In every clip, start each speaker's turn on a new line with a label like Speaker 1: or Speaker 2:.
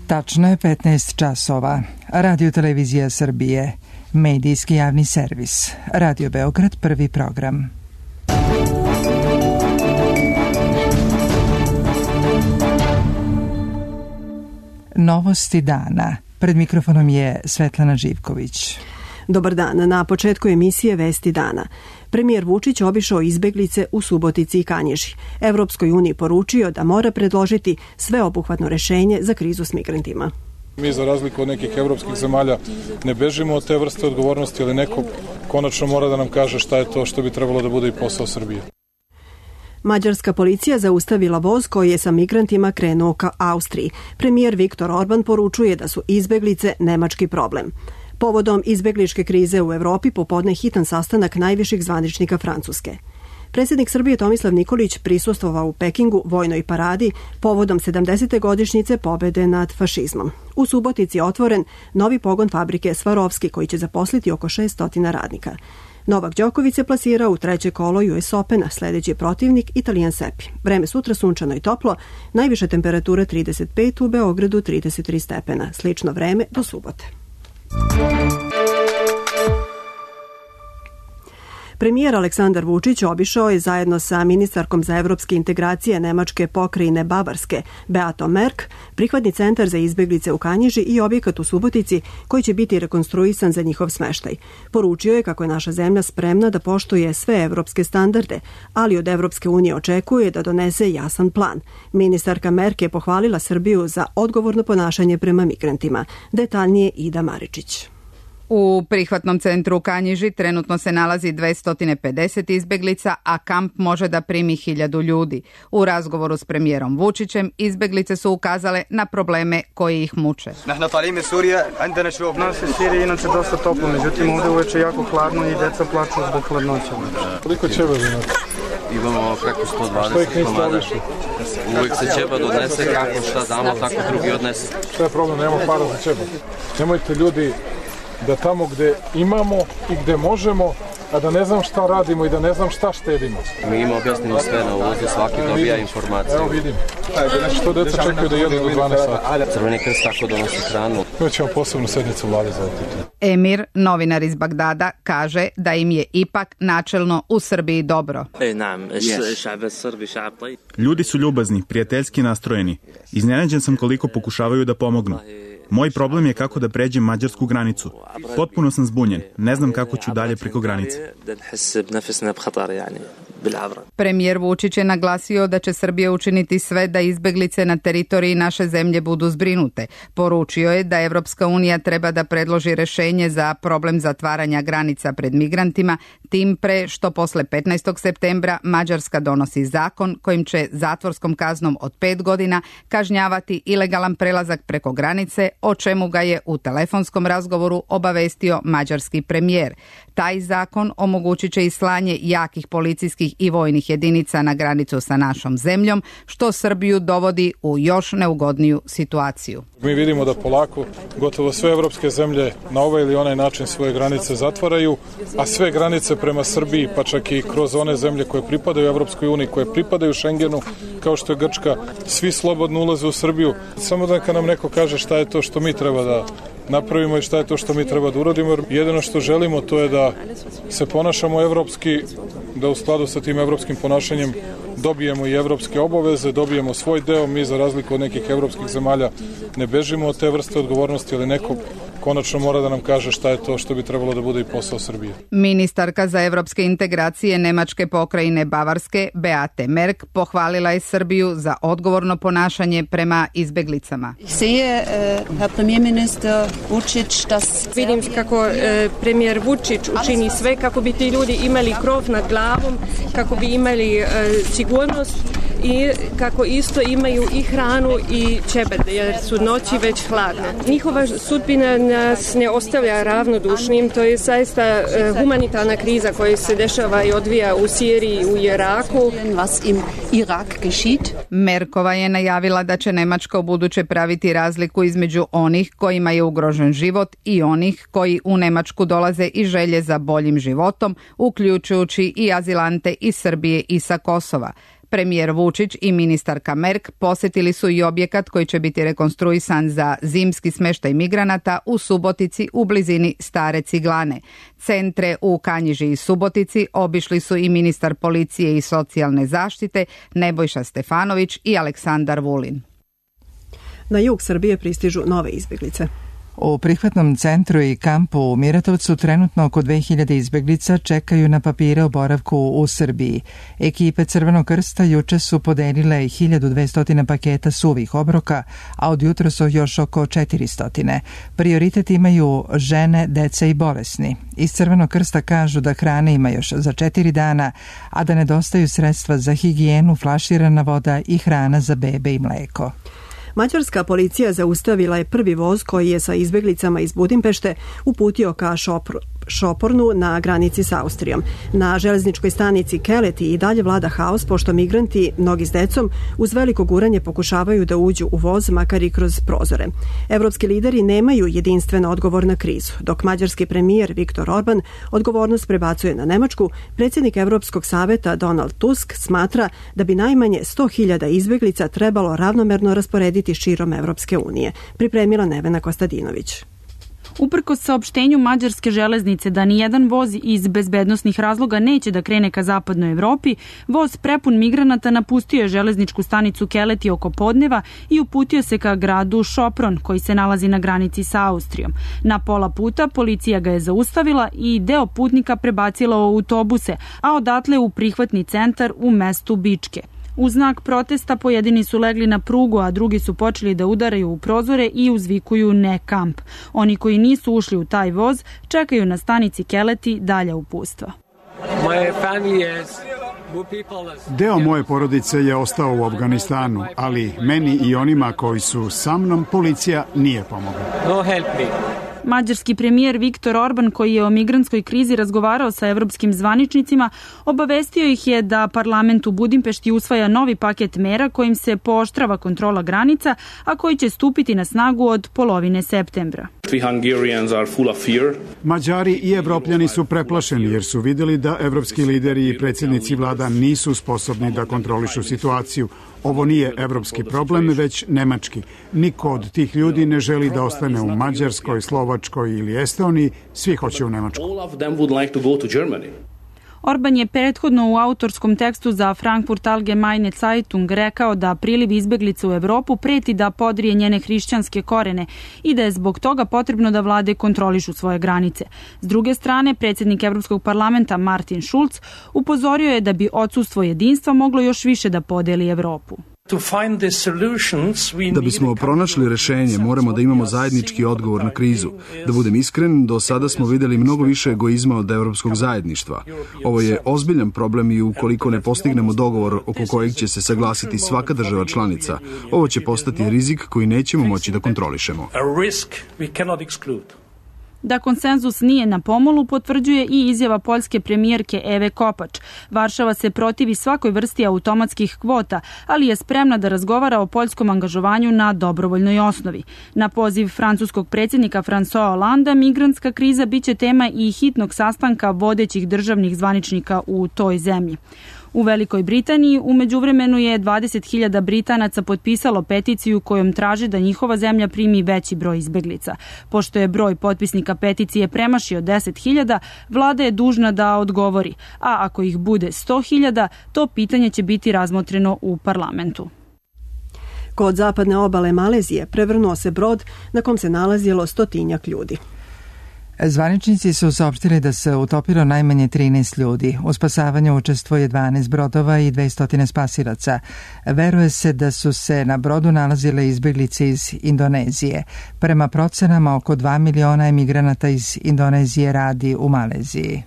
Speaker 1: Tačno je 15 časova. Radio Televizija Srbije, medijski javni servis. Radio Beograd, prvi program. Novosti dana. Pred mikrofonom je Svetlana Živković.
Speaker 2: Dobar dan. Na početku emisije Vesti dana. Premijer Vučić obišao izbeglice u Subotici i Kanjiži. Evropskoj uniji poručio da mora predložiti sveobuhvatno rešenje za krizu s migrantima.
Speaker 3: Mi za razliku od nekih evropskih zemalja ne bežimo od te vrste odgovornosti, ali neko konačno mora da nam kaže šta je to što bi trebalo da bude i posao Srbije.
Speaker 2: Mađarska policija zaustavila voz koji je sa migrantima krenuo ka Austriji. Premijer Viktor Orban poručuje da su izbeglice nemački problem. Povodom izbegličke krize u Evropi popodne hitan sastanak najviših zvaničnika Francuske. Predsjednik Srbije Tomislav Nikolić prisustvovao u Pekingu vojnoj paradi povodom 70. godišnjice pobede nad fašizmom. U Subotici je otvoren novi pogon fabrike Svarovski koji će zaposliti oko 600 radnika. Novak Đoković se plasirao u treće kolo US Opena, sljedeći protivnik Italijan Sepi. Vreme sutra sunčano i toplo, najviše temperature 35, u Beogradu 33 stepena. Slično vreme do subote. Premijer Aleksandar Vučić obišao je zajedno sa ministarkom za evropske integracije Nemačke pokrajine Bavarske, Beatom Merk, prihvatni centar za izbeglice u Kanjiži i objekat u Subotici koji će biti rekonstruisan za njihov smeštaj. Poručio je kako je naša zemlja spremna da poštuje sve evropske standarde, ali od Evropske unije očekuje da donese jasan plan. Ministarka Merk je pohvalila Srbiju za odgovorno ponašanje prema migrantima. Detaljnije Ida Maričić.
Speaker 4: U prihvatnom centru u Kanjiži trenutno se nalazi 250 izbeglica, a kamp može da primi 1000 ljudi. U razgovoru s premijerom Vučićem izbeglice su ukazale na probleme koji ih muče.
Speaker 5: Nas je Sirija inače dosta toplo, međutim ovdje uveče jako hladno i deca plaču zbog hladnoća.
Speaker 3: Koliko ćeba imate?
Speaker 6: Imamo preko 120 komada. Uvijek se ćeba donese, kako šta damo, tako drugi odnese.
Speaker 3: Šta je problem, nemamo para za ćeba. Nemojte ljudi da tamo gde imamo i gde možemo, a da ne znam šta radimo i da ne znam šta štedimo.
Speaker 6: Mi im objasnimo sve na uvozu, svaki dobija informacije.
Speaker 3: Evo vidim. Što deca čekaju da jedu do 12 sati.
Speaker 6: Crveni krst tako donosi hranu.
Speaker 3: Mi ćemo posebnu sednicu vlade za ovo pitanje.
Speaker 4: Emir, novinar iz Bagdada, kaže da im je ipak načelno u Srbiji dobro.
Speaker 7: Ljudi su ljubazni, prijateljski nastrojeni. Iznenađen sam koliko pokušavaju da pomognu. Moj problem je kako da pređem mađarsku granicu. Potpuno sam zbunjen. Ne znam kako ću dalje preko granice.
Speaker 4: Premijer Vučić je naglasio da će Srbija učiniti sve da izbeglice na teritoriji naše zemlje budu zbrinute. Poručio je da Evropska unija treba da predloži rešenje za problem zatvaranja granica pred migrantima, tim pre što posle 15. septembra Mađarska donosi zakon kojim će zatvorskom kaznom od 5 godina kažnjavati ilegalan prelazak preko granice, o čemu ga je u telefonskom razgovoru obavestio mađarski premijer. Taj zakon omogućit će i slanje jakih policijskih i vojnih jedinica na granicu sa našom zemljom, što Srbiju dovodi u još neugodniju situaciju.
Speaker 3: Mi vidimo da polako gotovo sve evropske zemlje na ovaj ili onaj način svoje granice zatvaraju, a sve granice prema Srbiji, pa čak i kroz one zemlje koje pripadaju Evropskoj uniji, koje pripadaju Šengenu, kao što je Grčka, svi slobodno ulaze u Srbiju. Samo da nam neko kaže šta je to što mi treba da napravimo i šta je to što mi treba da uradimo. Jedino što želimo to je da se ponašamo evropski, da u skladu sa tim evropskim ponašanjem dobijemo i evropske obaveze, dobijemo svoj deo. Mi za razliku od nekih evropskih zemalja ne bežimo od te vrste odgovornosti, ali neko konačno mora da nam kaže šta je to što bi trebalo da bude i posao Srbije.
Speaker 4: Ministarka za evropske integracije Nemačke pokrajine Bavarske, Beate Merk, pohvalila je Srbiju za odgovorno ponašanje prema izbeglicama.
Speaker 8: Vidim kako premijer Vučić učini sve kako bi ti ljudi imali krov nad glavom, kako bi imali sigurnost i kako isto imaju i hranu i ćebed, jer su noći već hladne. Njihova sudbina nas ne ostavlja ravnodušnim, to je zaista humanitarna kriza koja se dešava i odvija u Siriji i u Iraku.
Speaker 4: Merkova je najavila da će Nemačka ubuduće praviti razliku između onih kojima je ugrožen život i onih koji u Nemačku dolaze i želje za boljim životom, uključujući i azilante iz Srbije i sa Kosova. Premijer Vučić i ministarka Merk posjetili su i objekat koji će biti rekonstruisan za zimski smještaj migranata u Subotici u blizini Stare Ciglane. Centre u Kanjiži i Subotici obišli su i ministar policije i socijalne zaštite Nebojša Stefanović i Aleksandar Vulin.
Speaker 2: Na jug Srbije pristižu nove izbjeglice.
Speaker 1: U prihvatnom centru i kampu u Miratovcu trenutno oko 2000 izbjeglica čekaju na papire o boravku u Srbiji. Ekipe Crvenog krsta juče su podelile 1200 paketa suvih obroka, a od jutra su još oko 400. Prioritet imaju žene, deca i bolesni. Iz Crvenog krsta kažu da hrane ima još za 4 dana, a da nedostaju sredstva za higijenu, flaširana voda i hrana za bebe i mleko.
Speaker 2: Mađarska policija zaustavila je prvi voz koji je sa izbjeglicama iz Budimpešte uputio ka Šopornu na granici s Austrijom. Na železničkoj stanici Keleti i dalje vlada haos pošto migranti, mnogi s decom, uz veliko guranje pokušavaju da uđu u voz, makar i kroz prozore. Evropski lideri nemaju jedinstven odgovor na krizu. Dok mađarski premijer Viktor Orban odgovornost prebacuje na Nemačku, predsjednik Evropskog saveta Donald Tusk smatra da bi najmanje 100.000 izbjeglica trebalo ravnomerno rasporediti širom Evropske unije. Pripremila Nevena Kostadinović.
Speaker 9: Uprkos saopštenju mađarske železnice da nijedan voz iz bezbednosnih razloga neće da krene ka zapadnoj Evropi, voz prepun migranata napustio je železničku stanicu Keleti oko podneva i uputio se ka gradu Šopron, koji se nalazi na granici sa Austrijom. Na pola puta policija ga je zaustavila i deo putnika prebacila u autobuse, a odatle u prihvatni centar u mestu Bičke. U znak protesta pojedini su legli na prugu, a drugi su počeli da udaraju u prozore i uzvikuju ne kamp. Oni koji nisu ušli u taj voz čekaju na stanici Keleti dalja upustva.
Speaker 10: Deo moje porodice je ostao u Afganistanu, ali meni i onima koji su sa mnom policija nije pomogla.
Speaker 9: Mađarski premijer Viktor Orban, koji je o migrantskoj krizi razgovarao sa evropskim zvaničnicima, obavestio ih je da parlament u Budimpešti usvaja novi paket mera kojim se pooštrava kontrola granica, a koji će stupiti na snagu od polovine septembra.
Speaker 10: Mađari i Evropljani su preplašeni jer su vidjeli da evropski lideri i predsjednici vlada nisu sposobni da kontrolišu situaciju. Ovo nije evropski problem, već nemački. Niko od tih ljudi ne želi da ostane u Mađarskoj, Slovačkoj ili Estoniji, svi hoće u Nemačku.
Speaker 9: Orban je prethodno u autorskom tekstu za Frankfurt Allgemeine Zeitung rekao da priliv izbjeglica u Evropu preti da podrije njene hrišćanske korene i da je zbog toga potrebno da vlade kontrolišu svoje granice. S druge strane, predsjednik Evropskog parlamenta Martin Schulz upozorio je da bi odsustvo jedinstva moglo još više da podeli Evropu.
Speaker 11: Da bismo pronašli rešenje, moramo da imamo zajednički odgovor na krizu. Da budem iskren, do sada smo vidjeli mnogo više egoizma od evropskog zajedništva. Ovo je ozbiljan problem i ukoliko ne postignemo dogovor oko kojeg će se saglasiti svaka država članica, ovo će postati rizik koji nećemo moći da kontrolišemo.
Speaker 9: Da konsenzus nije na pomolu potvrđuje i izjava poljske premijerke Eve Kopač. Varšava se protivi svakoj vrsti automatskih kvota, ali je spremna da razgovara o poljskom angažovanju na dobrovoljnoj osnovi. Na poziv francuskog predsjednika François Hollande, migrantska kriza biće tema i hitnog sastanka vodećih državnih zvaničnika u toj zemlji. U Velikoj Britaniji u međuvremenu je 20.000 Britanaca potpisalo peticiju kojom traže da njihova zemlja primi veći broj izbeglica. Pošto je broj potpisnika peticije premašio 10.000, vlada je dužna da odgovori, a ako ih bude 100.000, to pitanje će biti razmotreno u parlamentu.
Speaker 2: Kod zapadne obale Malezije prevrnuo se brod na kom se nalazilo 100-tinjak ljudi.
Speaker 1: Zvaničnici su saopštili da se utopilo najmanje 13 ljudi. U spasavanju učestvuje 12 brodova i 200 spasilaca. Veruje se da su se na brodu nalazile izbjeglice iz Indonezije. Prema procenama, oko 2 miliona emigranata iz Indonezije radi u Maleziji.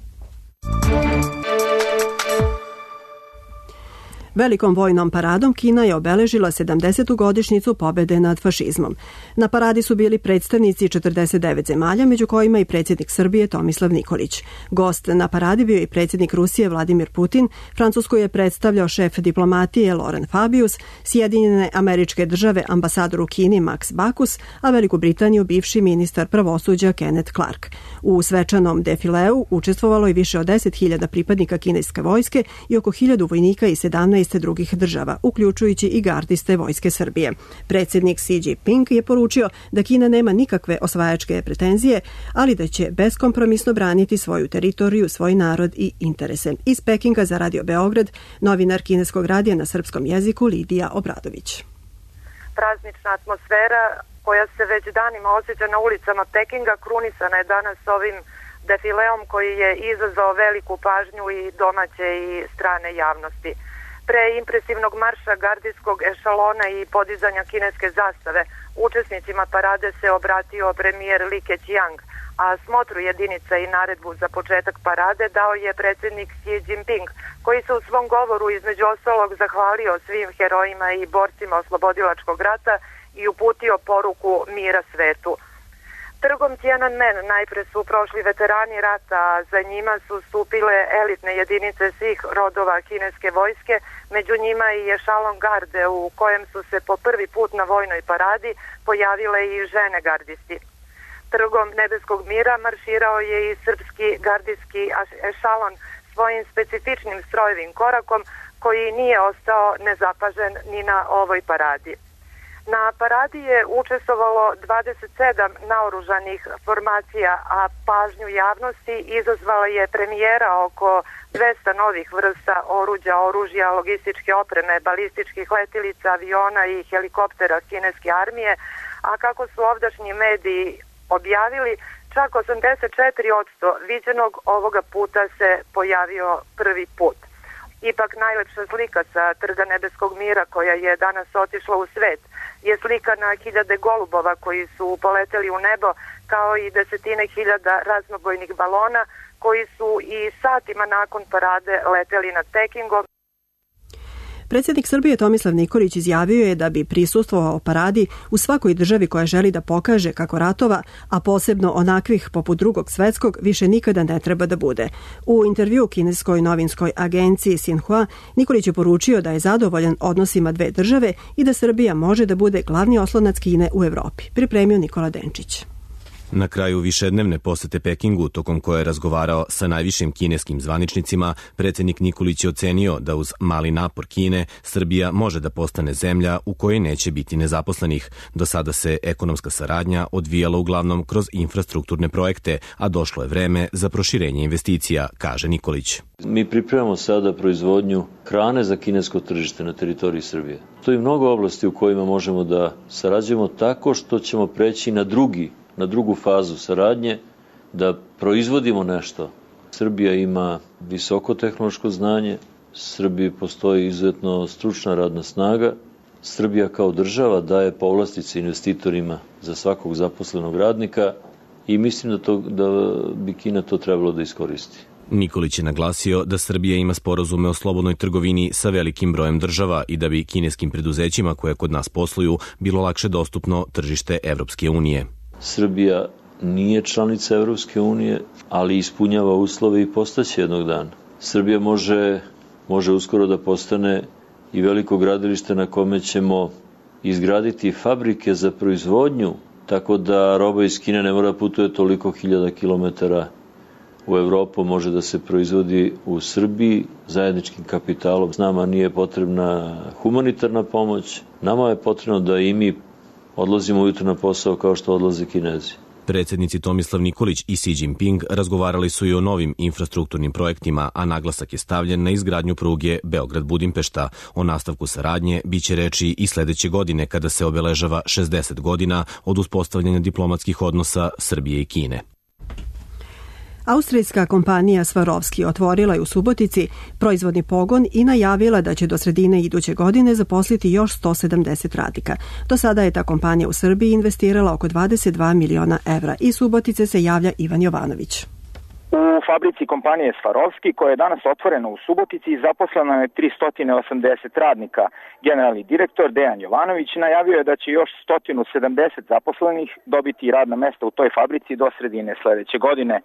Speaker 2: Velikom vojnom paradom Kina je obeležila 70. godišnjicu pobjede nad fašizmom. Na paradi su bili predstavnici 49 zemalja, među kojima i predsjednik Srbije Tomislav Nikolić. Gost na paradi bio i predsjednik Rusije Vladimir Putin, Francusku je predstavljao šef diplomatije Laurent Fabius, Sjedinjene Američke Države ambasador u Kini Max Bacchus, a Veliku Britaniju bivši ministar pravosuđa Kenneth Clark. U svečanom defileu učestvovalo je više od 10.000 pripadnika kineske vojske i oko 1000 vojnika i 17 gardiste drugih država, uključujući i gardiste Vojske Srbije. Predsjednik Xi Jinping je poručio da Kina nema nikakve osvajačke pretenzije, ali da će beskompromisno braniti svoju teritoriju, svoj narod i interese. Iz Pekinga za Radio Beograd, novinar kineskog radija na srpskom jeziku Lidija Obradović.
Speaker 12: Praznična atmosfera koja se već danima osjeća na ulicama Pekinga krunisana je danas ovim defileom koji je izazvao veliku pažnju i domaće i strane javnosti. Pre impresivnog marša gardijskog ešalona i podizanja kineske zastave, učesnicima parade se obratio premijer Li Keqiang, a smotru jedinica i naredbu za početak parade dao je predsjednik Xi Jinping, koji se u svom govoru između ostalog zahvalio svim herojima i borcima oslobodilačkog rata i uputio poruku mira svetu. Trgom Tiananmen najpre su prošli veterani rata, a za njima su stupile elitne jedinice svih rodova kineske vojske, među njima i ešalon garde u kojem su se po prvi put na vojnoj paradi pojavile i žene gardisti. Trgom Nebeskog mira marširao je i srpski gardijski ešalon svojim specifičnim strojevim korakom koji nije ostao nezapažen ni na ovoj paradi. Na paradi je učestvovalo 27 naoružanih formacija, a pažnju javnosti izazvala je premijera oko 200 novih vrsta oružja, logističke opreme, balističkih letilica, aviona i helikoptera kineske armije, a kako su ovdašnji mediji objavili, čak 84% viđenog ovoga puta se pojavio prvi put. Ipak najlepša slika sa Trga Nebeskog mira koja je danas otišla u svet je slika na hiljade golubova koji su poleteli u nebo, kao i desetine hiljada raznobojnih balona koji su i satima nakon parade leteli nad Pekingom.
Speaker 2: Predsjednik Srbije Tomislav Nikolić izjavio je da bi prisustvovao paradi u svakoj državi koja želi da pokaže kako ratova, a posebno onakvih poput Drugog svjetskog, više nikada ne treba da bude. U intervju kineskoj novinskoj agenciji Xinhua, Nikolić je poručio da je zadovoljan odnosima dve države i da Srbija može da bude glavni oslonac Kine u Evropi. Pripremio Nikola Denčić.
Speaker 13: Na kraju višednevne posete Pekingu, tokom koje je razgovarao sa najvišim kineskim zvaničnicima, predsjednik Nikolić je ocenio da uz mali napor Kine, Srbija može da postane zemlja u kojoj neće biti nezaposlenih. Do sada se ekonomska saradnja odvijala uglavnom kroz infrastrukturne projekte, a došlo je vreme za proširenje investicija, kaže Nikolić.
Speaker 14: Mi pripremamo sada proizvodnju hrane za kinesko tržište na teritoriji Srbije. To je mnogo oblasti u kojima možemo da sarađujemo tako što ćemo preći na drugu fazu saradnje, da proizvodimo nešto. Srbija ima visoko tehnološko znanje, Srbiji postoji izuzetno stručna radna snaga, Srbija kao država daje povlastice investitorima za svakog zaposlenog radnika i mislim da bi Kina to trebalo da iskoristi.
Speaker 13: Nikolić je naglasio da Srbija ima sporazume o slobodnoj trgovini sa velikim brojem država i da bi kineskim preduzećima koje kod nas posluju bilo lakše dostupno tržište Evropske unije.
Speaker 14: Srbija nije članica Evropske unije, ali ispunjava uslove i postaće jednog dana. Srbija može uskoro da postane i veliko gradilište na kome ćemo izgraditi fabrike za proizvodnju, tako da roba iz Kine ne mora putuje toliko hiljada kilometara u Evropu, može da se proizvodi u Srbiji zajedničkim kapitalom. Nama nije potrebna humanitarna pomoć, nama je potrebno da i mi odlazimo ujutro na posao kao što odlaze Kinezi.
Speaker 13: Predsjednici Tomislav Nikolić i Xi Jinping razgovarali su i o novim infrastrukturnim projektima, a naglasak je stavljen na izgradnju pruge Beograd-Budimpešta. O nastavku saradnje biće reči i sledeće godine kada se obeležava 60 godina od uspostavljanja diplomatskih odnosa Srbije i Kine.
Speaker 2: Austrijska kompanija Swarovski otvorila je u Subotici proizvodni pogon i najavila da će do sredine iduće godine zaposliti još 170 radnika. Do sada je ta kompanija u Srbiji investirala oko 22 miliona evra. Iz Subotice se javlja Ivan Jovanović.
Speaker 15: U fabrici kompanije Swarovski, koja je danas otvorena u Subotici, zaposleno je 380 radnika. Generalni direktor Dejan Jovanović najavio je da će još 170 zaposlenih dobiti radna mesta u toj fabrici do sredine sledeće godine.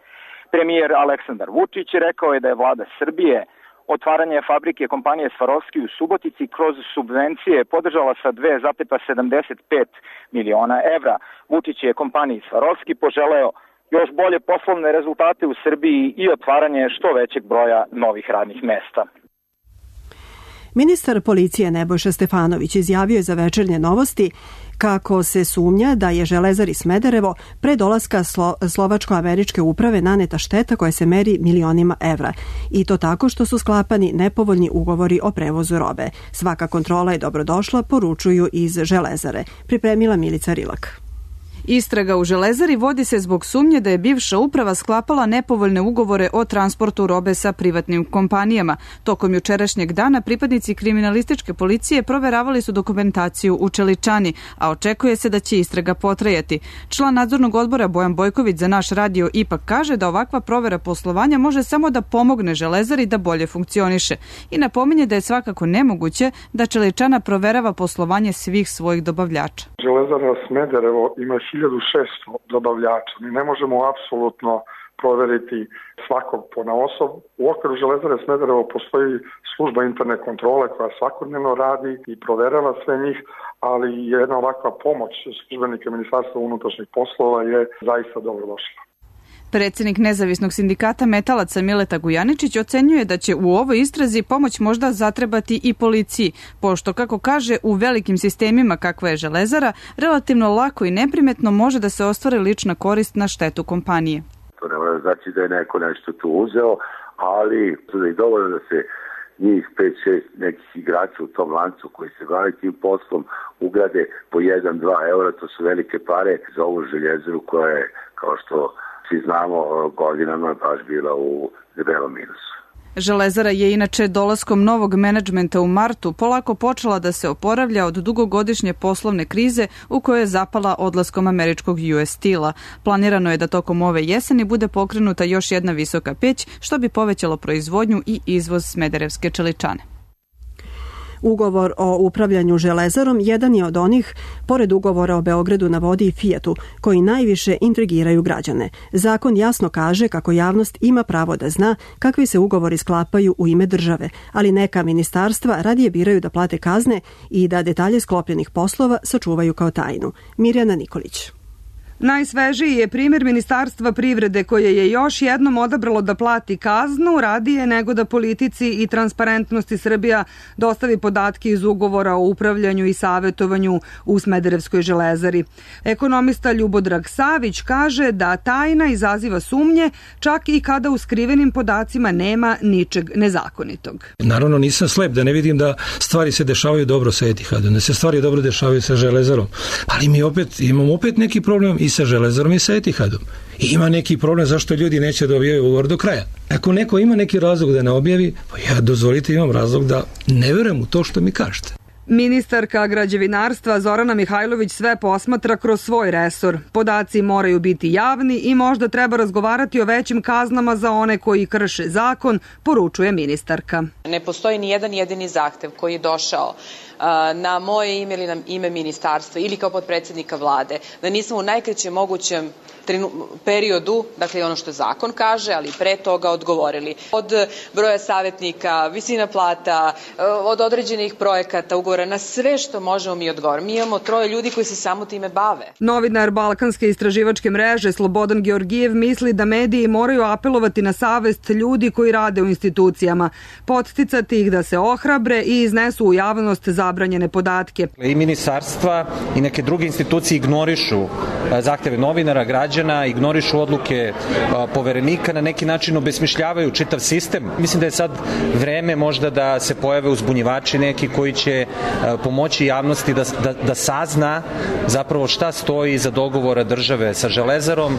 Speaker 15: Premijer Aleksandar Vučić rekao je da je vlada Srbije otvaranje fabrike kompanije Swarovski u Subotici kroz subvencije podržala sa 2,75 miliona evra. Vučić je kompaniji Swarovski poželeo još bolje poslovne rezultate u Srbiji i otvaranje što većeg broja novih radnih mesta.
Speaker 2: Ministar policije Nebojša Stefanović izjavio je za Večernje novosti kako se sumnja da je Železari Smederevo pre dolaska slovačko-američke uprave naneta šteta koja se meri milionima evra. I to tako što su sklapani nepovoljni ugovori o prevozu robe. Svaka kontrola je dobrodošla, poručuju iz Železare. Pripremila Milica Rilak.
Speaker 9: Istraga u Železari vodi se zbog sumnje da je bivša uprava sklapala nepovoljne ugovore o transportu robe sa privatnim kompanijama. Tokom jučerašnjeg dana pripadnici kriminalističke policije proveravali su dokumentaciju u Čeličani, a očekuje se da će istraga potrajati. Član nadzornog odbora Bojan Bojković za naš radio ipak kaže da ovakva provera poslovanja može samo da pomogne Železari da bolje funkcioniše i napominje da je svakako nemoguće da Čeličana proverava poslovanje svih svojih dobavljača.
Speaker 16: Železara Smederevo ima 1600 dobavljača. Mi ne možemo apsolutno proveriti svakog ponaosob. U okviru Železare Smederevo postoji služba interne kontrole koja svakodnevno radi i proverava sve njih, ali jedna ovakva pomoć službenika Ministarstva unutrašnjih poslova je zaista dobrodošla.
Speaker 9: Predsjednik nezavisnog sindikata metalaca Mileta Gujaničić ocenjuje da će u ovoj istrazi pomoć možda zatrebati i policiji, pošto, kako kaže, u velikim sistemima kakva je Železara, relativno lako i neprimetno može da se ostvari lična korist na štetu kompanije.
Speaker 17: To ne mora znači da je neko nešto tu uzeo, ali to je dovoljno da se njih 5-6 nekih igrača u tom lancu koji se bave tim poslom ugrade po 1-2 eura, to su velike pare za ovu Željezaru koja je, kao što svi znamo, godinama baš bila u debelom minusu.
Speaker 9: Železara je inače dolaskom novog menadžmenta u martu polako počela da se oporavlja od dugogodišnje poslovne krize u kojoj je zapala odlaskom američkog US Steel-a. Planirano je da tokom ove jeseni bude pokrenuta još jedna visoka peć, što bi povećalo proizvodnju i izvoz smederevske čeličane.
Speaker 2: Ugovor o upravljanju Železarom jedan je od onih, pored ugovora o Beogradu na vodi i Fijatu, koji najviše intrigiraju građane. Zakon jasno kaže kako javnost ima pravo da zna kakvi se ugovori sklapaju u ime države, ali neka ministarstva radije biraju da plate kazne i da detalje sklopljenih poslova sačuvaju kao tajnu. Mirjana Nikolić.
Speaker 18: Najsvežiji je primjer Ministarstva privrede koje je još jednom odabralo da plati kaznu radije nego da politici i transparentnosti Srbija dostavi podatke iz ugovora o upravljanju i savetovanju u Smederevskoj Železari. Ekonomista Ljubodrag Savić kaže da tajna izaziva sumnje čak i kada u skrivenim podacima nema ničeg nezakonitog.
Speaker 19: Naravno nisam slep da ne vidim da stvari se dešavaju dobro sa Etihadom, da se stvari dobro dešavaju sa Železarom, ali mi imamo neki problem i sa Železarom i sa Etihadom. I ima neki problem zašto ljudi neće da objavaju ugovor do kraja. Ako neko ima neki razlog da ne objavi, pa ja dozvolite imam razlog da ne verujem u to što mi kažete.
Speaker 18: Ministarka građevinarstva Zorana Mihajlović sve posmatra kroz svoj resor. Podaci moraju biti javni i možda treba razgovarati o većim kaznama za one koji krše zakon, poručuje ministarka.
Speaker 20: Ne postoji ni jedan jedini zahtev koji je došao na moje ime ili na ime ministarstva ili kao potpredsjednika vlade, da nismo u najkraćem mogućem periodu, dakle ono što zakon kaže, ali pre toga odgovorili. Od broja savjetnika, visina plata, od određenih projekata, ugovora, na sve što možemo mi odgovorimo. Mi imamo 3 ljudi koji se samo time bave.
Speaker 18: Novinar Balkanske istraživačke mreže Slobodan Georgijev misli da mediji moraju apelovati na savest ljudi koji rade u institucijama, podsticati ih da se ohrabre i iznesu u javnost zabranjene podatke.
Speaker 21: I ministarstva i neke druge institucije ignorišu zahteve novinara, građana, ignorišu odluke poverenika, na neki način obesmišljavaju čitav sistem. Mislim da je sad vreme možda da se pojave uzbunjivači neki koji će pomoći javnosti da sazna zapravo šta stoji iza dogovora države sa Železarom,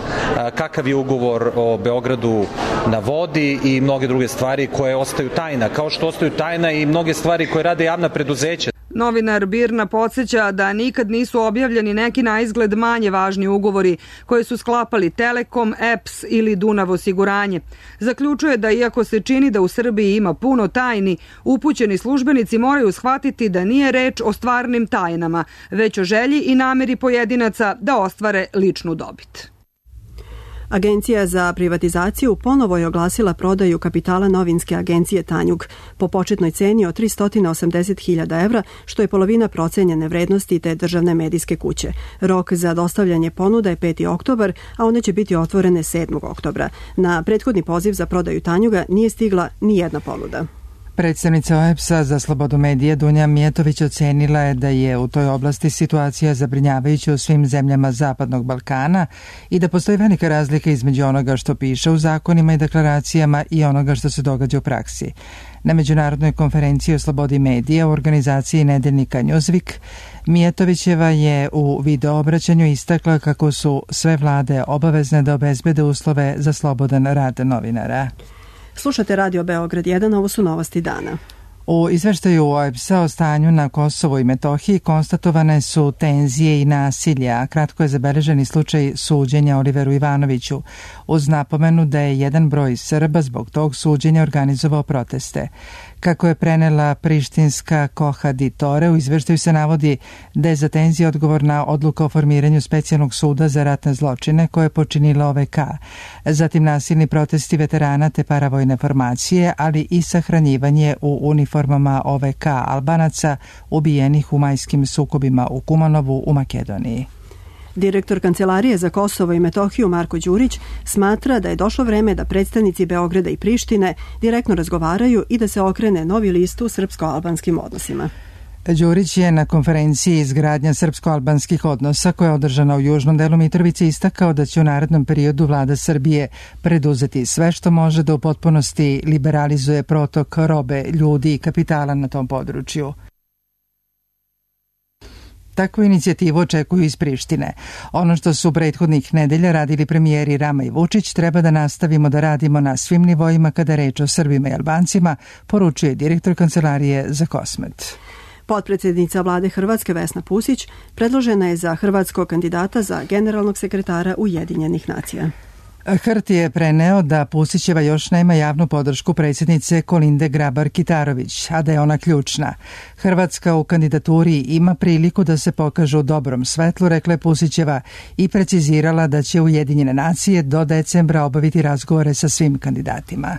Speaker 21: kakav je ugovor o Beogradu na vodi i mnoge druge stvari koje ostaju tajna, kao što ostaju tajna i mnoge stvari koje rade javna preduzeća.
Speaker 18: Novinar Birna podsjeća da nikad nisu objavljeni neki na izgled manje važni ugovori koje su sklapali Telekom, EPS ili Dunav osiguranje. Zaključuje da iako se čini da u Srbiji ima puno tajni, upućeni službenici moraju shvatiti da nije reč o stvarnim tajnama, već o želji i nameri pojedinaca da ostvare ličnu dobit.
Speaker 2: Agencija za privatizaciju ponovo je oglasila prodaju kapitala novinske agencije Tanjug po početnoj ceni od 380.000 evra, što je polovina procenjene vrednosti te državne medijske kuće. Rok za dostavljanje ponuda je 5. oktobar, a one će biti otvorene 7. oktobra. Na prethodni poziv za prodaju Tanjuga nije stigla ni jedna ponuda.
Speaker 1: Predstavnica OEBS-a za slobodu medija Dunja Mijatović ocenila je da je u toj oblasti situacija zabrinjavajuća u svim zemljama Zapadnog Balkana i da postoji velika razlika između onoga što piše u zakonima i deklaracijama i onoga što se događa u praksi. Na Međunarodnoj konferenciji o slobodi medija u organizaciji nedeljnika Newsweek, Mijatovićeva je u videoobraćanju istakla kako su sve vlade obavezne da obezbede uslove za slobodan rad novinara.
Speaker 2: Slušate Radio Beograd 1, ovo su novosti dana.
Speaker 1: U izveštaju OEBS-a o stanju na Kosovu i Metohiji konstatovane su tenzije i nasilje, a kratko je zabeležen i slučaj suđenja Oliveru Ivanoviću, uz napomenu da je jedan broj Srba zbog tog suđenja organizovao proteste. Kako je prenela prištinska Koha di Tore, u izveštaju se navodi da je za tenzije odgovorna odluka o formiranju specijalnog suda za ratne zločine koje je počinila OVK, zatim nasilni protesti veterana te paravojne formacije, ali i sahranjivanje u uniformama OVK Albanaca ubijenih u majskim sukobima u Kumanovu u Makedoniji.
Speaker 2: Direktor Kancelarije za Kosovo i Metohiju Marko Đurić smatra da je došlo vreme da predstavnici Beograda i Prištine direktno razgovaraju i da se okrene novi list u srpsko-albanskim odnosima.
Speaker 1: Đurić je na konferenciji izgradnja srpsko-albanskih odnosa koja je održana u južnom delu Mitrovice istakao da će u narednom periodu vlada Srbije preduzeti sve što može da u potpunosti liberalizuje protok robe, ljudi i kapitala na tom području. Takvu inicijativu očekuju iz Prištine. Ono što su prethodnih nedelja radili premijeri Rama i Vučić treba da nastavimo da radimo na svim nivoima kada je reč o Srbima i Albancima, poručuje direktor Kancelarije za Kosmet.
Speaker 2: Potpredsjednica vlade Hrvatske Vesna Pusić predložena je za hrvatskog kandidata za generalnog sekretara Ujedinjenih nacija.
Speaker 1: HRT je preneo da Pusićeva još nema javnu podršku predsjednice Kolinde Grabar-Kitarović, a da je ona ključna. Hrvatska u kandidaturi ima priliku da se pokaže u dobrom svetlu, rekla je Pusićeva i precizirala da će Ujedinjene nacije do decembra obaviti razgovore sa svim kandidatima.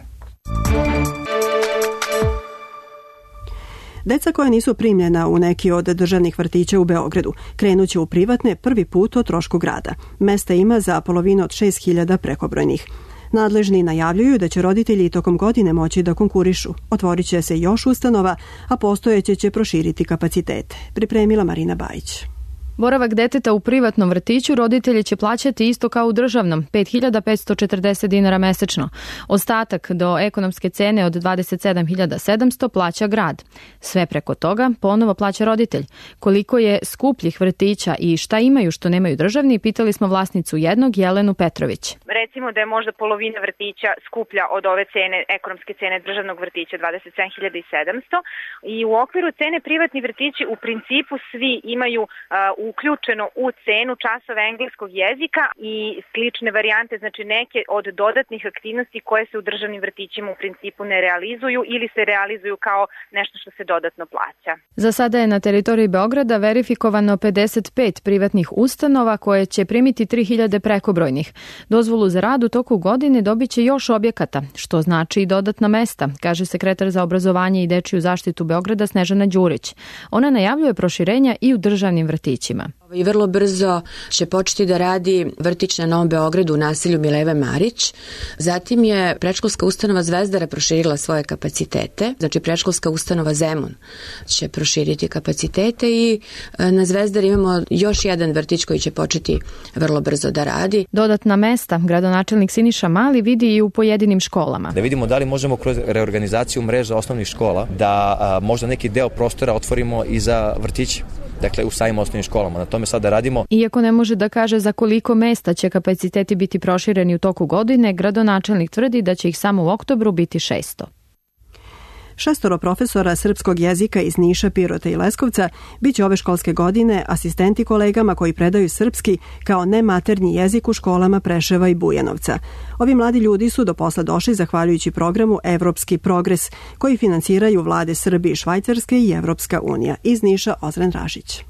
Speaker 2: Deca koja nisu primljena u neki od državnih vrtića u Beogradu krenuće u privatne prvi put o trošku grada. Mesta ima za polovinu od 6.000 prekobrojnih. Nadležni najavljuju da će roditelji tokom godine moći da konkurišu. Otvorit će se još ustanova, a postojeće će proširiti kapacitete. Pripremila Marina Bajić.
Speaker 5: Boravak deteta u privatnom vrtiću roditelji će plaćati isto kao u državnom, 5.540 dinara mesečno. Ostatak do ekonomske cene od 27.700 plaća grad. Sve preko toga ponovo plaća roditelj. Koliko je skupljih vrtića i šta imaju što nemaju državni, pitali smo vlasnicu jednog, Jelenu Petrović.
Speaker 22: Recimo da je možda polovina vrtića skuplja od ove cene, ekonomske cene državnog vrtića, 27.700, i u okviru cene privatni vrtići u principu svi imaju uključeno u cenu časova engleskog jezika i slične varijante, znači neke od dodatnih aktivnosti koje se u državnim vrtićima u principu ne realizuju ili se realizuju kao nešto što se dodatno plaća.
Speaker 5: Za sada je na teritoriji Beograda verifikovano 55 privatnih ustanova koje će primiti 3.000 prekobrojnih. Dozvolu za rad u toku godine dobit će još objekata, što znači i dodatna mesta, kaže sekretar za obrazovanje i dečiju zaštitu Beograda Snežana Đurić. Ona najavljuje proširenja i u državnim vrtićima.
Speaker 23: I vrlo brzo će početi da radi vrtić na Novom Beogradu u naselju Mileve Marić. Zatim je predškolska ustanova Zvezdara proširila svoje kapacitete. Znači predškolska ustanova Zemun će proširiti kapacitete i na Zvezdari imamo još jedan vrtić koji će početi vrlo brzo da radi.
Speaker 5: Dodatna mesta gradonačelnik Siniša Mali vidi i u pojedinim školama.
Speaker 24: Da vidimo da li možemo kroz reorganizaciju mreža osnovnih škola da možda neki deo prostora otvorimo i za vrtiće. Dakle, u samim osnovnim školama. Na tome sada radimo.
Speaker 5: Iako ne može da kaže za koliko mesta će kapaciteti biti prošireni u toku godine, gradonačelnik tvrdi da će ih samo u oktobru biti 600.
Speaker 2: 6 profesora srpskog jezika iz Niša, Pirota i Leskovca biće ove školske godine asistenti kolegama koji predaju srpski kao nematernji jezik u školama Preševa i Bujanovca. Ovi mladi ljudi su do posla došli zahvaljujući programu Evropski progres koji finansiraju vlade Srbije i Švajcarske i Evropska unija. Iz Niša Ozren Ražić.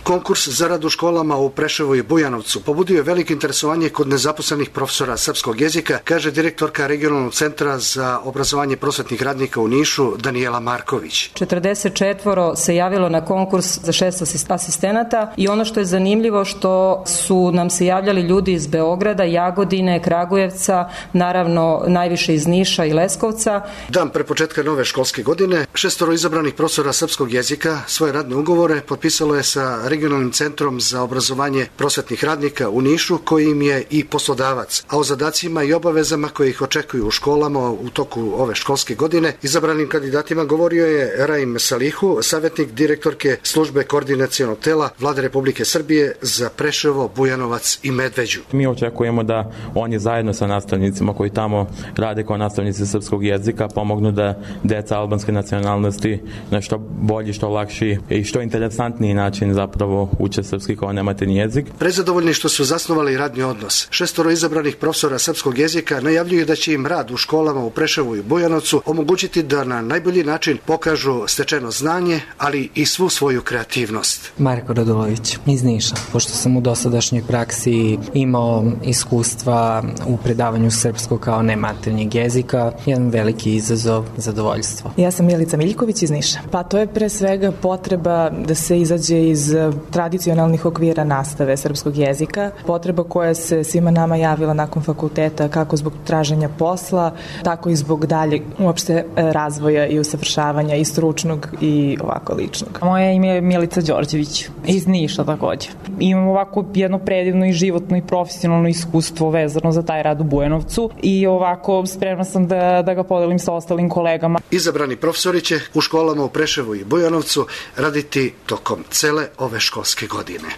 Speaker 3: Konkurs za rad u školama u Preševu i Bujanovcu pobudio je veliko interesovanje kod nezaposlenih profesora srpskog jezika, kaže direktorka Regionalnog centra za obrazovanje prosvetnih radnika u Nišu, Danijela Marković.
Speaker 6: 44 se javilo na konkurs za 6 asistenata i ono što je zanimljivo što su nam se javljali ljudi iz Beograda, Jagodine, Kragujevca, naravno najviše iz Niša i Leskovca.
Speaker 3: Dan pre početka nove školske godine 6 izabranih profesora srpskog jezika svoje radne ugovore potpisalo je sa Regionalnim centrom za obrazovanje prosvetnih radnika u Nišu, koji im je i poslodavac. A o zadacima i obavezama koje ih očekuju u školama u toku ove školske godine izabranim kandidatima govorio je Raim Salihu, savjetnik direktorke službe koordinacionog tela Vlade Republike Srbije za Preševo, Bujanovac i Medveđu.
Speaker 7: Mi očekujemo da oni zajedno sa nastavnicima koji tamo rade kao nastavnici srpskog jezika pomognu da deca albanske nacionalnosti na što bolji, što lakši i što interesantniji način zapravo uče srpski kao nematerni jezik.
Speaker 3: Prezadovoljni što su zasnovali radni odnos, 6 izabranih profesora srpskog jezika najavljuju da će im rad u školama u Preševu i Bujanovcu omogućiti da na najbolji način pokažu stečeno znanje, ali i svu svoju kreativnost.
Speaker 8: Marko Radulović iz Niša, pošto sam u dosadašnjoj praksi imao iskustva u predavanju srpskog kao nematernjeg jezika, jedan veliki izazov, zadovoljstvo.
Speaker 25: Ja sam Milica Miljković iz Niša. Pa to je pre svega potreba da se izađe iz tradicionalnih okvira nastave srpskog jezika, potreba koja se svima nama javila nakon fakulteta, kako zbog traženja posla, tako i zbog dalje uopšte razvoja i usavršavanja i stručnog i ovako ličnog. Moje ime je Milica Đorđević iz Niša takođe. Imam ovako jedno predivno i životno i profesionalno iskustvo vezano za taj rad u Bujanovcu i ovako spremna sam da ga podelim sa ostalim kolegama.
Speaker 3: Izabrani profesori će u školama u Preševu i Bujanovcu raditi tokom cele ove školske godine.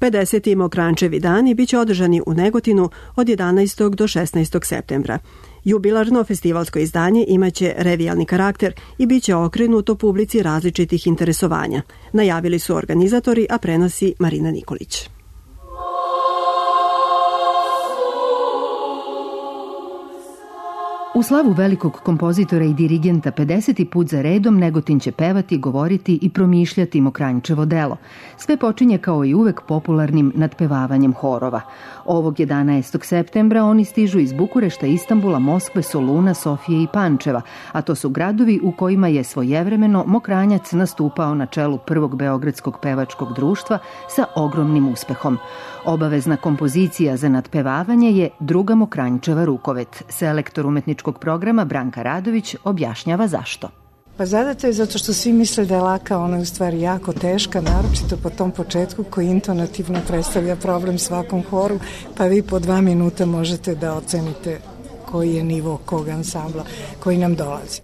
Speaker 2: 50. Mokrančevi dani biće održani u Negotinu od 11. do 16. septembra. Jubilarno festivalsko izdanje imaće revijalni karakter i biće okrenuto publici različitih interesovanja. Najavili su organizatori, a prenosi Marina Nikolić.
Speaker 26: U slavu velikog kompozitora i dirigenta 50. put za redom Negotin će pevati, govoriti i promišljati Mokranjčevo delo. Sve počinje kao i uvek popularnim nadpevavanjem horova. Ovog 11. septembra oni stižu iz Bukurešta, Istanbula, Moskve, Soluna, Sofije i Pančeva, a to su gradovi u kojima je svojevremeno Mokranjac nastupao na čelu prvog beogradskog pevačkog društva sa ogromnim uspehom. Obavezna kompozicija za nadpevavanje je Druga Mokranjčeva rukovet. Selektor umetničkog programa Branka Radović objašnjava zašto.
Speaker 27: Pa zadata je zato što svi misle da je laka, ona je u stvari jako teška, naročito po tom početku koji intonativno predstavlja problem svakom horu, pa vi po 2 minuta možete da ocenite koji je nivo kog ansambla koji nam dolazi.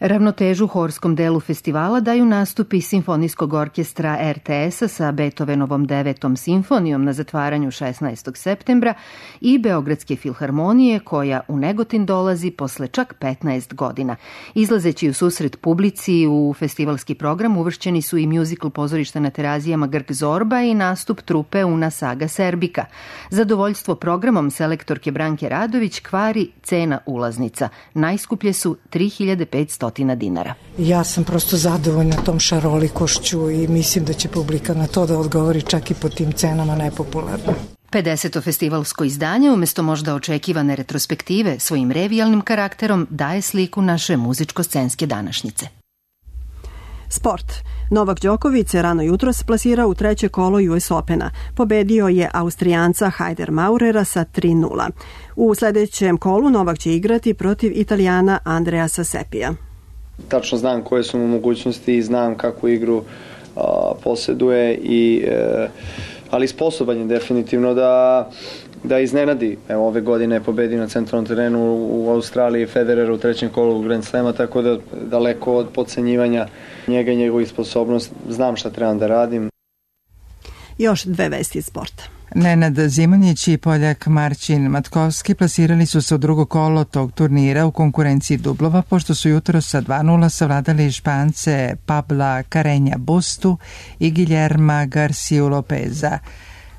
Speaker 26: Ravnotežu horskom delu festivala daju nastupi Simfonijskog orkestra RTS-a sa Beethovenovom 9. simfonijom na zatvaranju 16. septembra i Beogradske filharmonije koja u Negotin dolazi posle čak 15 godina. Izlazeći u susret publici u festivalski program uvršćeni su i muzikl pozorišta na Terazijama Grk Zorba i nastup trupe Una Saga Serbika. Zadovoljstvo programom selektorke Branke Radović kvari cena ulaznica. Najskuplje su 3.500 dinara.
Speaker 27: Ja sam prosto zadovoljna tom šarolikošću i mislim da će publika na to da odgovori čak i po tim cenama nepopularno.
Speaker 26: 50. festivalsko izdanje umjesto možda očekivane retrospektive svojim revijalnim karakterom daje sliku naše muzičko-scenske današnjice.
Speaker 2: Sport. Novak Đoković se rano jutros plasirao u 3. kolo US Opena. Pobedio je Austrijanca Hajder Maurera sa 3:0. U sljedećem kolu Novak će igrati protiv Italijana Andreasa Sepija.
Speaker 28: Tačno znam koje su mu mogućnosti i znam kakvu igru posjeduje, ali sposoban je definitivno da iznenadi. Evo, ove godine je pobedio na centralnom terenu u Australiji Federera u 3. kolu u Grand Slema, tako da daleko od podcenjivanja njega i njegovih sposobnosti znam šta trebam da radim.
Speaker 2: Još 2 vesti iz sporta.
Speaker 1: Nenad Zimonjić i Poljak Marcin Matkovski plasirali su se u drugo kolo tog turnira u konkurenciji dublova, pošto su jutro sa 2:0 savladali Špance Pabla Carreña Bustu i Guillerma García Lopeza.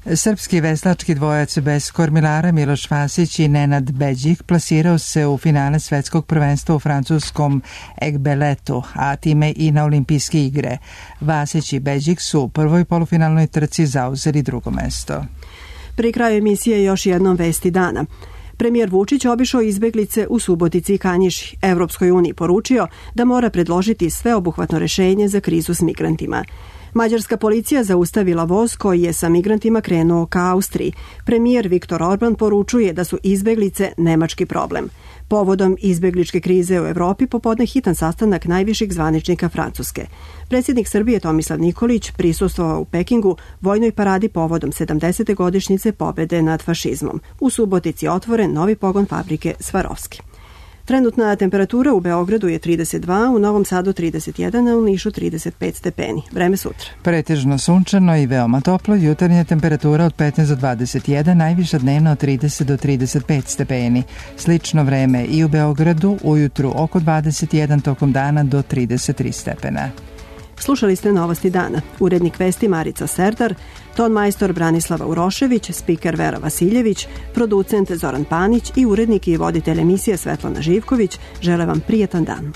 Speaker 1: Srpski veslački dvojac bez kormilara Miloš Vasić i Nenad Beđik plasirao se u finale svetskog prvenstva u francuskom Egbeletu, a time i na olimpijske igre. Vasić i Beđik su u prvoj polufinalnoj trci zauzeli drugo mesto.
Speaker 2: Pri kraju emisije još jednom vesti dana. Premijer Vučić obišao izbeglice u Subotici i Kanjiži. Evropskoj uniji poručio da mora predložiti sveobuhvatno rešenje za krizu s migrantima. Mađarska policija zaustavila voz koji je sa migrantima krenuo ka Austriji. Premijer Viktor Orban poručuje da su izbeglice nemački problem. Povodom izbegličke krize u Evropi popodne hitan sastanak najviših zvaničnika Francuske. Predsjednik Srbije Tomislav Nikolić prisustvovao u Pekingu vojnoj paradi povodom 70. godišnjice pobede nad fašizmom. U Subotici otvoren novi pogon fabrike Svarovski. Trenutna temperatura u Beogradu je 32, u Novom Sadu 31, a u Nišu 35 stepeni. Vreme sutra.
Speaker 1: Pretežno sunčano i veoma toplo, jutarnja temperatura od 15 do 21, najviša dnevna od 30 do 35 stepeni. Slično vreme i u Beogradu, ujutru oko 21, tokom dana do 33 stepena.
Speaker 2: Slušali ste Novosti dana. Urednik vesti Marica Serdar, ton majstor Branislava Urošević, spiker Vera Vasiljević, producent Zoran Panić i urednik i voditelj emisije Svetlana Živković žele vam prijetan dan.